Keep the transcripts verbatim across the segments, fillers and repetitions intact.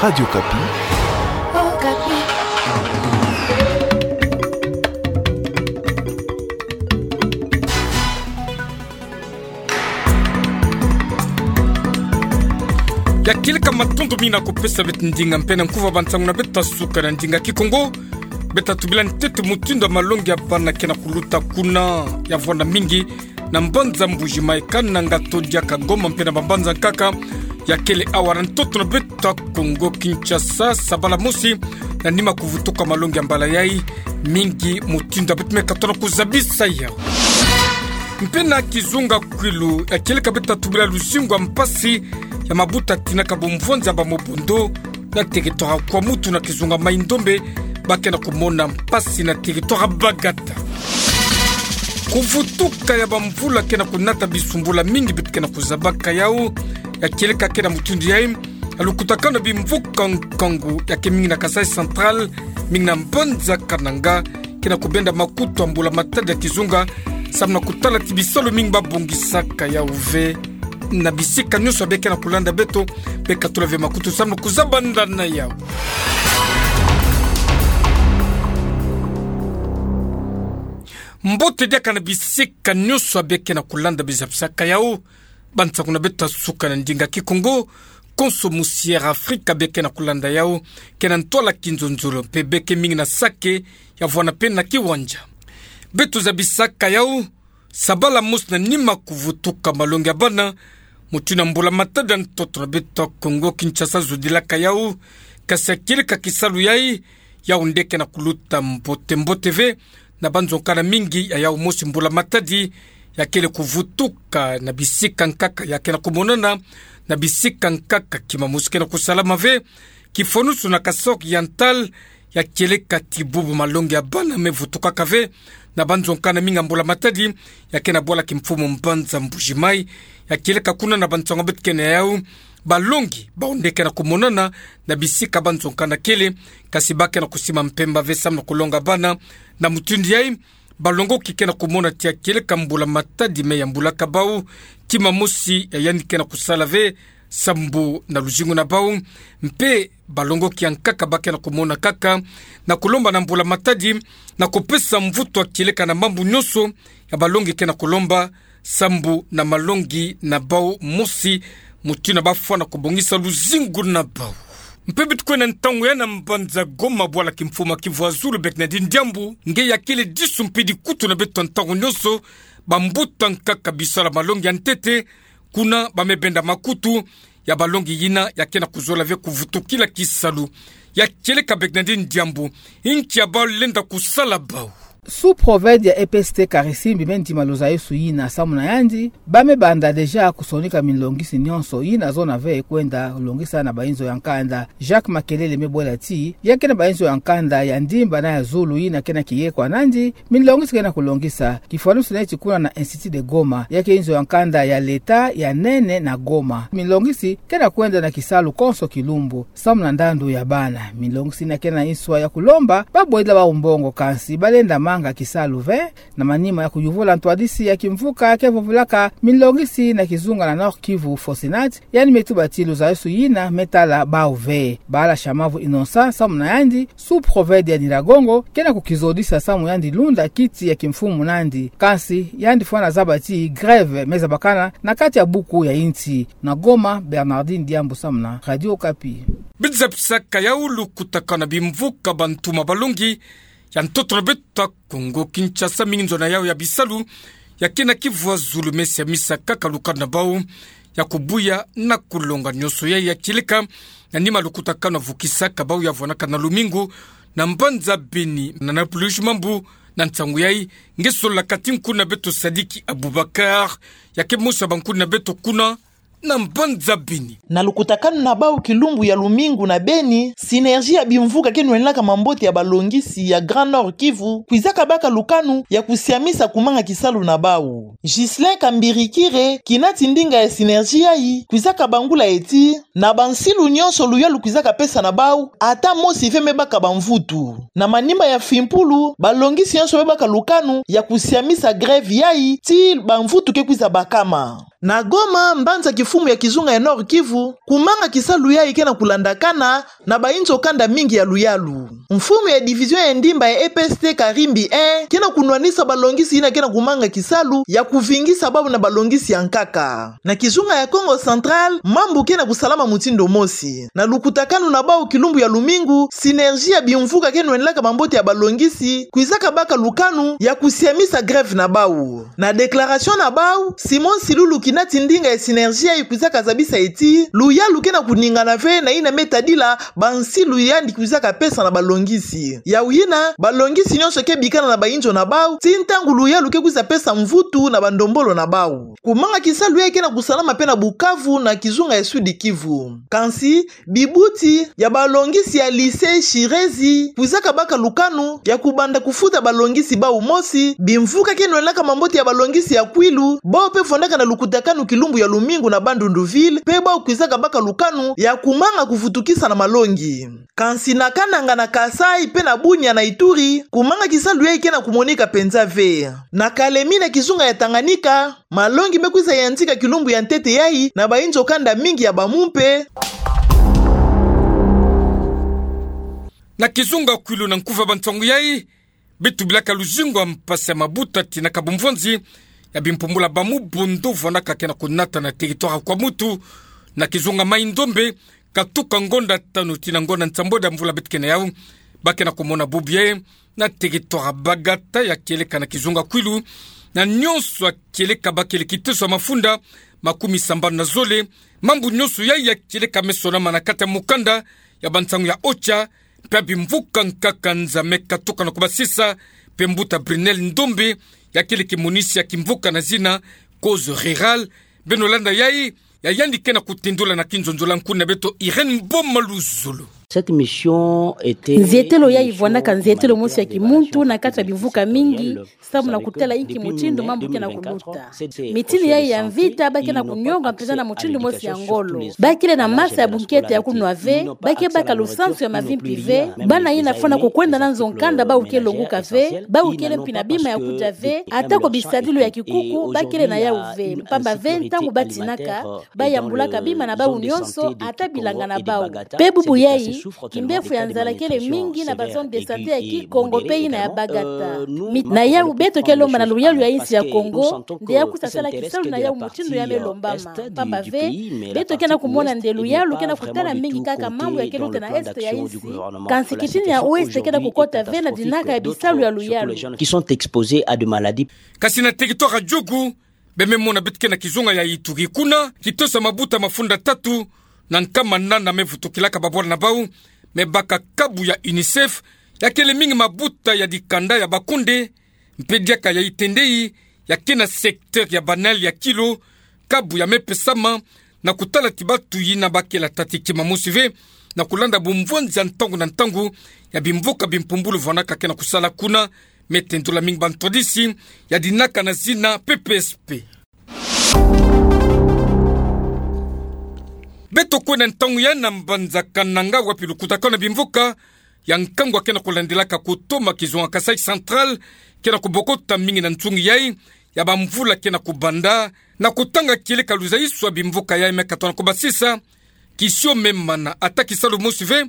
Radio Okapi. Okapi. Ya kieleka matondo mingi na kupesa beto ndinga mpe na nkuva ba nsangu na beto ya suka na ndinga Kikongo. Beto tubila ntete mutindu ya malongi ya bana ke na kuluta kuna, ya vwanda mingi na mbanza Mbuji-Mayi, Kananga, Todia, Goma mpe na bambanza nkaka ya kele awa na ntoto na beto ya Kongo Kinshasa, sabala mosi na nima kuvutuka malongi ya mbala yai. Mingi mutindu ya beto me katono kuzabisa yau. Mpe na kizunga Kwilu, ya kieleka beto tubila luzingu ya mpasi ya mabuta tinaka bumvwanza ba mobondo na territoire ya Kwamouth na kizunga Maï-Ndombe, ba ke na kumona mpasi na territoire Bagata. Kuvutuka ya bamvula ke na kunata bisumbula mingi beto ke na kuzabaka yau. Ya kieleka ke na mutindu yai, ya lukutakanu ya bimvuka nkangu ya ke mingi na Kasaï Central, mingi na mbanza Kananga, ke na kubenda makutu ya mbula matadi ya kizunga, samu na kutala ti bisalu mingi ba bongisaka yau ve. Na bisika nyonso ya beke na kulanda beto, beka tula ve makutu samu na kuzabanda na yau. Mbote diaka na bisika nyonso ya beke na kulanda, bizapisaka yau ba nsangu na beto ya suka na ndinga Kikongo, konso musi Air Afrique beke na kulanda yau, ke na ntwala kinzonzolo mpe beke mingi na sake ya vwanda mpe na kiwanja. Beto zabisaka yau, sabala mosi na nima kuvutuka malongi ya bana, mutindu ya mbula matadi ya ntoto na beto ya Kongo Kinshasa zodilaka yau. Kasi ya kieleka kisalu yai, yau nde ke na kuluta mbote mbote ve, na banzonkana mingi ya yau mosi mbula matadi ya kele kuvutuka na bisika nkaka ya ke na kumonana, na bisika nkaka kima mosi ke na kusalama ve. Kifwanusu na Kasaï Oriental, ya kieleka ti bubu malongi ya bana me vutukaka ve na banzonkana mingi ya mbula matadi ya ke na bwala kimfumu mbanza Mbuji-Mayi. Ya kieleka kuna na bansangu beto ke na yau, balongi bau nde ke na kumonana na bisika banzonkana kele, kasi ba ke na kusima mpemba ve samu na kulonga bana. Na mutindu yai, balongoki ke na kumona ti ya kieleka mbula matadi me yambulaka bau, kima mosi ya yandi ke na kusala ve sambu na luzingu na bau, mpe balongoki ya nkaka ba ke na kumona kaka na kulomba na mbula matadi na kupesa mvutu ya kieleka na mambu nyonso ya balongi ke na kulomba sambu na malongi na bau mosi, mutindu ya bafwana kubongisa luzingu na bau. Mpe beto kwenda ntangu yai na mbanza Goma, bwala kimfumu Kivu ya Zulu, beke na yandi diambu nge ya kele disu mpe dikutu na beto ntangu nyonso, bambuta nkaka bisalu ya malongi ya ntete, kuna ba me benda makutu ya balongi yina ya ke na kuzola ve kuvutukila kisalu. Ya kieleka beke na yandi diambu, inki ya bau lenda kusala bau. Sous-préfet ya E P S T Karisimbi me ndima luzayisu yina samu na yandi, ba me banda déjà kusonika minlongisi nyonso yina zona ve kwenda longisa na bayinzo ya nkanda. Jacques Makelele me bwela ti, ya ke na bayinzo ya nkanda ya ndimba na ya zulu yina ke na kiye kwa nandi, minlongisi ke na kulongisa. Kifwanusu neti kuna na Institut de Goma, ya ke inzo ya nkanda ya leta ya nene na Goma. Minlongisi ke na kwenda na kisalu konso kilumbu samu na ndandu ya bana. Minlongisi yina ke na nswa ya kulomba babwela bau mbongo, kansi ba lenda manga kisalu ve. Na manima ya kuyuvula ntwadisi ya kimvuka ke vovulaka minlongisi na kizunga na Nord-Kivu, Fosinat, yandi me tuba ti luzayisu yina me tala bau ve. Bala Shamavu Innocent samu na yandi, sous-préfet ya Nyiragongo, ke na kukizodisa samu yandi lunda kiti ya kimfumu nandi. Kansi yandi fwana zaba ti grève me zabakana na kati ya buku ya insi. Na Goma, Bernardine Diambu samu na Radio Okapi. Bizapisaka yau lukutakanu ya bimvuka bantuma balongi ya ntoto na beto ya Kongo Kinshasa, mingi nzo na yau ya bisalu ya ke na Kivu ya Zulu me siamisa kaka lukanu na bau ya kubuya na kulonga. Nyonso yai ya kieleka na nima lukutakanu ya vukisaka bau ya vwanaka na lumingu na mbanza Beni, na Napoléon Mambu. Na nsangu yai nge sololaka ti nkuni na beto Sadiki Aboubacar, ya ke mosi ya bankuni na beto kuna na mbanza Beni. Na lukutakanu na bau kilumbu ya lumingu na Beni, Synergie ya bimvuka ke nwenaka mambote ya balongisi ya Grand Nord Kivu kwizaka baka lukanu ya kusiamisa kumanga kisalu na bau. Ghislain Kambirikire, kinati ndinga ya Synergie yai, kwizaka bangula ti, na bansilu nyonso luyalu kwizaka pesa na bau, ata mosi ve me baka bamvutu. Na manima ya Fimpulu, balongisi nyonso me baka lukanu ya kusiamisa grève yai tii bamvutu ke kwiza bakama. Na Goma, mbanza kifumu ya kizunga ya Nord-Kivu, kumanga kisalu yayi ke na kulandakana na bainzo kanda mingi ya luyalu. Mfumu ya division ya ndimba ya E P S T Karimbi un ke na kunwanisa balongisi yina ke na kumanga kisalu ya kuvingisa bau na balongisi ya nkaka. Na kizunga ya Kongo Central, mambu ke na kusalama mutindu mosi. Na lukutakanu na bau kilumbu ya lumingu, Synergie ya bimvuka ke nwenlaka mambote ya balongisi kwizaka baka lukanu ya kusiamisa grève na bau. Na déclaration na bau, Simon Nsilulu, kinati ndinga ya Synergie, yayi kwizaka zabisa ti luyalu ke na kuningana ve na yina me tadila bansilu yandi kwizaka pesa na balongisi. Yau yina, balongisi nyonso ke bikana na bainzo na bau, tii ntangu luyalu ke kwiza pesa mvutu na bandombolo na bau. Kumanga kisalu yayi ke na kusalama mpe na Bukavu, na kizunga ya Sud-Kivu. Kansi, bibuti ya balongisi ya lycée Chirezi kwizaka baka lukanu ya kubanda kufuta balongisi bau mosi, bimvuka ke nwenlaka mambote ya balongisi ya Kwilu, bau mpe vandaka na lukutakanu kilumbu ya lumingu na Bandundu-Ville, mpe bau kwizaka baka lukanu ya kumanga kuvutukisa na malongi. Kansi na Kananga, na Kasaï, mpe na Bunia, na Ituri, kumanga kisalu yayi ke na kumonika mpenza ve. Na Kalemie, na kizunga ya Tanganyika, malongi me kwiza yantika kilumbu ya ntete yayi na bainzo kanda mingi ya bamumpe. Na kizunga Kwilu, na nkufi ya bansangu yayi, beto bilaka luzingu ya mpasi ya mabuta tii na kabumvonzi ya bimpumbula bamu, bondo vandaka ke na kunata na territoire ya Kwamouth, na kizunga Mai-Ndombe, katuka ngonda tanu tii na ngonda nsambweda mvula beto ke na yau, ba ke na kumona bubu yayi na territoire ya Bagata, ya kieleka na kizunga Kwilu, na nyonso ya kieleka bakele kiteso ya mafunda makumi sambanu na zole. Mambu nyonso yayi ya kieleka me sonama na kati ya mukanda ya bansangu ya OCHA, mpe ya bimvuka nkaka nza me katuka na kubasisa, mpe mbuta Brunel Ndombe, ya kele kimonisi ya kimvuka na zina Causes Rurales. Beno landa yayi, ya yandi ke na kutendula na kinzonzolo na nkuna beto Irène Mboma Luzolo. Cette mission était... Nzietelo yayi vwandaka nzietelo mosi ya kimuntu na kati ya bimvuka mingi, samu na kutala inki mutindu mambu ke na kuluta. Mitini yayi ya mvita, ba ke na kunyonga mpenza na mutindu mosi ya ngolo. Ba kele na masa ya bunkete ya kunwa ve, ba ke baka lusansu ya mavimpi ve, bana yina fwana kukwenda na nzo nkanda bau ke longuka ve, bau kele mpi na bima ya kudia ve, ata ko bisadilu ya kikuku ba kele na yau ve, mpamba ve ntangu ba tinaka, ba yambulaka bima na bau nyonso, ata bilanga na bau. Mpe bubu yayi, kimbefu ya nzala kele mingi na ba zone de santé ya Kikongo mpe yina ya Bagata. Mi-, na yau beto ke lomba na luyalu ya insi ya Kongo nde ya kwiza sala kisalu na yau mutindu ya me lombama. Mpamba ve, beto ke na kumona nde luyalu ke na kutala mingi kaka mambu ya ke luta na est ya insi, kansi kitini ya ouest ke na kukota ve na dinaka ya bisalu ya luyalu. Qui sont exposés à des maladies. Kasi na territoire ya Djugu, be me mona beto ke na kizunga ya Ituri kuna, kiteso ya mabuta mafunda tatu na nkama nana me vutukilaka babwala na bau, me baka kabu ya UNICEF, ya kele mingi mabuta ya dikanda ya bakunde, mpe diaka ya itendei, ya ke na secteur ya banal ya Kilo, kabu ya me pesama, na kutala ti batu yina ba kele tata ti kima mosi ve, na kulanda bumvonzi ya ntangu na ntangu ya bimvuka bimpumbulu vwandaka ke na kusala kuna, me tendula mingi bantwadisi ya dinaka na zina P P S P. Beto kwenda ntangu yayi na mbanza Kananga, wapi lukutakanu na bimvuka ya nkangu ya ke na kulandilaka kutoma kizunga Kasaï Central ke na kubokota mingi na nsungi yayi ya bamvula ke na kubanda, na kutanga kieleka luzaiso ya bimvuka yayi me katoka na kubasisa, kisio me mana ata kisalu mosi ve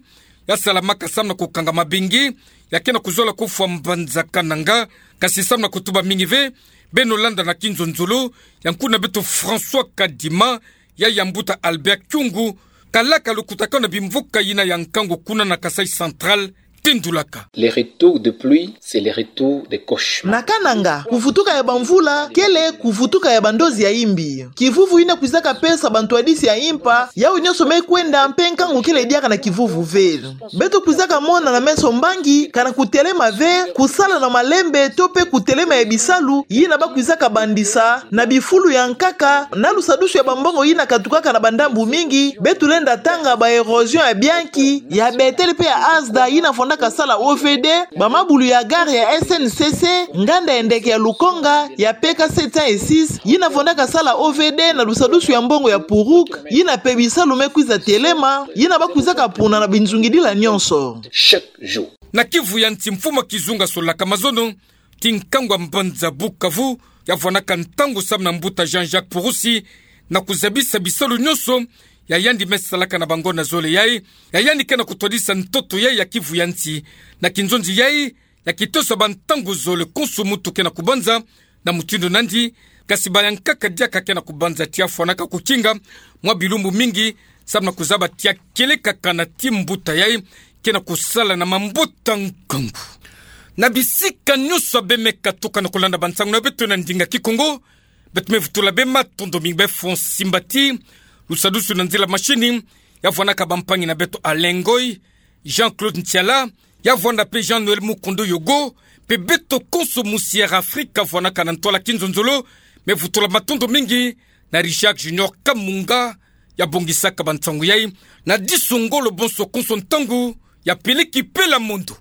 ya salamaka samu na kukanga mabingi ya ke na kuzola kofwa mbanza Kananga, kasi samu na kutuba mingi ve, beno landa na kinzonzolo ya nkuna beto François Kadima, ya ya mbuta Albert Kyungu, kalaka lukutakanu na bimvuka yina ya nkangu kuna na Kasaï Central, tendulaka. Le retour de pluie, c'est le retour des cauchemars. Na Kananga, kuvutuka ya bamvula kele kuvutuka ya bandozi ya imbi. Kivuvu yina kwizaka pesa bantwadisi ya impa, yau nyonso me kwenda, mpe nkangu kele diaka na kivuvu ve. Beto kwizaka mona na meso mbangi kana kutelema ve, kusala na malembe to mpe kutelema ya bisalu yina ba kwizaka bandisa na bifulu ya nkaka, na lusadusu ya bambongo yina katukaka na bandambu mingi. Beto lenda tanga ba érosion ya bianchi, ya Bethel mpe ya Asda yina fondaka sala O V D, bamabulu ya gare ya S N C C, nganda ya ndeke ya Lukonga, ya P K sept cent six yina fondaka sala O V D na lusadusu ya mbongo ya Puruk, yina mpe bisalu me kwiza telema, yina ba kwizaka puna na binzungidila nyonso. Chaque jour. Na Kivu ya nsi, mfumu ya kizunga solaka mazono ti nkangu ya mbanza Bukavu, ya vwanaka ntangu samu na mbuta Jean-Jacques Purusi, na kuzabisa bisalu nyonso ya yandi me salaka na bango na zole yai, ya yandi ke na kutwadisa ntoto yai ya kivu ya nsi. Na kinzonzi yai, ya kitosa bantangu zole konso muntu ke na kubanza na mutindu nandi, kasi bayankaka diaka ke na kubanza tia fwanaka kukinga mwa bilumbu mingi, samu na kuzaba tia kieleka kana ti mbuta yai ke na kusala na mambota nkangu. Na bisika nyonso ya bemeka tuka na kulanda bansangu na beto na ndinga Kikongo, beto me vutula bê matondo mingi, bê Fonsi Mbati, lusadusu na nzila mashini, ya vwanaka bampangi na beto Alain Ngoy, Jean-Claude Ntiala, ya vwanda pe Jean-Noël Mukondo Yogo, pe beto konso mu Sierra Africa vwanaka na ntwala kinzonzolo. Me vutula matondo mingi na Richard Junior Kamunga, ya bongisaka bansangu yai, na diso ngolo bonso konso ntangu, ya peleki pela mondo.